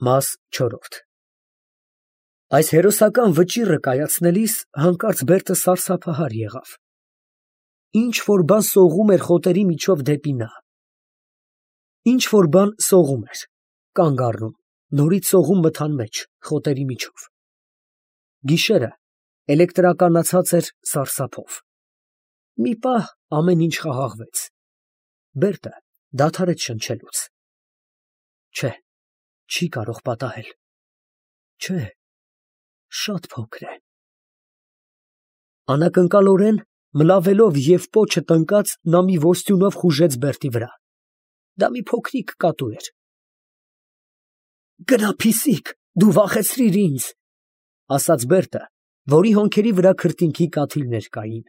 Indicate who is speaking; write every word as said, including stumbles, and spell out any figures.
Speaker 1: Մաս չորրորդ Այս հերոսական վճիռը կայացնելիս հանկարծ Բերտը սարսափահար եղավ. ինչ֊որ բան սողում էր խոտերի միջով դեպի նա… Ինչ֊որ բան սողում էր, կանգ առնում, նորից սողում մթան մեջ, խոտերի միջով… Գիշերը էլեկտրականացած էր սարսափով… Մի պահ ամեն ինչ խաղաղվեց… Բերտը դադարեց շնչելուց… Չէ, չի կարող պատահել… Չէ, շատ փոքր է… Անակնկալորեն մլավելով և պոչը տնկած, նա մի ոստյունով խուժեց Բերտի վրա… Դա մի փոքրիկ կատու էր… Գնա փիսիկ, դու վախեցրիր ինձ… ֊ ասաց Բերտը, որի հոնքերի վրա քրտինքի կաթիլներ կային։